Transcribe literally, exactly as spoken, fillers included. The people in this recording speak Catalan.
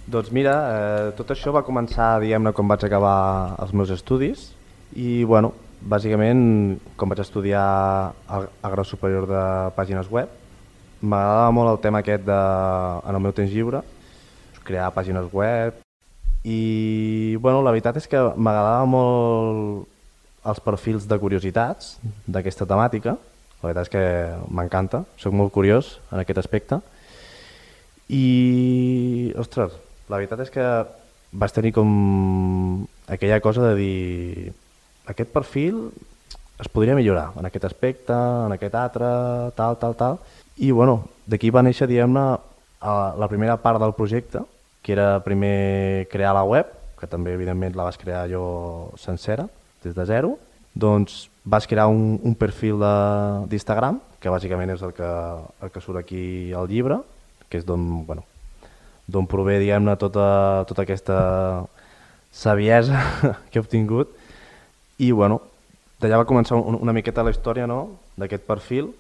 Doncs mira, eh, tot això va començar, diguem-ne, quan vaig acabar els meus estudis i, bueno, bàsicament, com vaig estudiar el, el grau superior de pàgines web, m'agradava molt el tema aquest de, en el meu temps lliure, crear pàgines web i, bueno, la veritat és que m'agradava molt els perfils de curiositats d'aquesta temàtica. La veritat és que m'encanta, soc molt curiós en aquest aspecte i, ostres, la veritat és que vaig tenir com aquella cosa de dir aquest perfil es podria millorar en aquest aspecte, en aquest altre, tal, tal, tal. I bueno, d'aquí va néixer, diguem-ne, la primera part del projecte, que era primer crear la web, que també evidentment la vaig crear jo sencera, des de zero. Doncs vaig crear un, un perfil d'Instagram, que bàsicament és el que, el que surt aquí al llibre, que és d'on, bueno, d'on prové, diguem-ne, tota, tota aquesta saviesa que he obtingut. I, bueno, d'allà va començar una, una miqueta la història, no?, d'aquest perfil.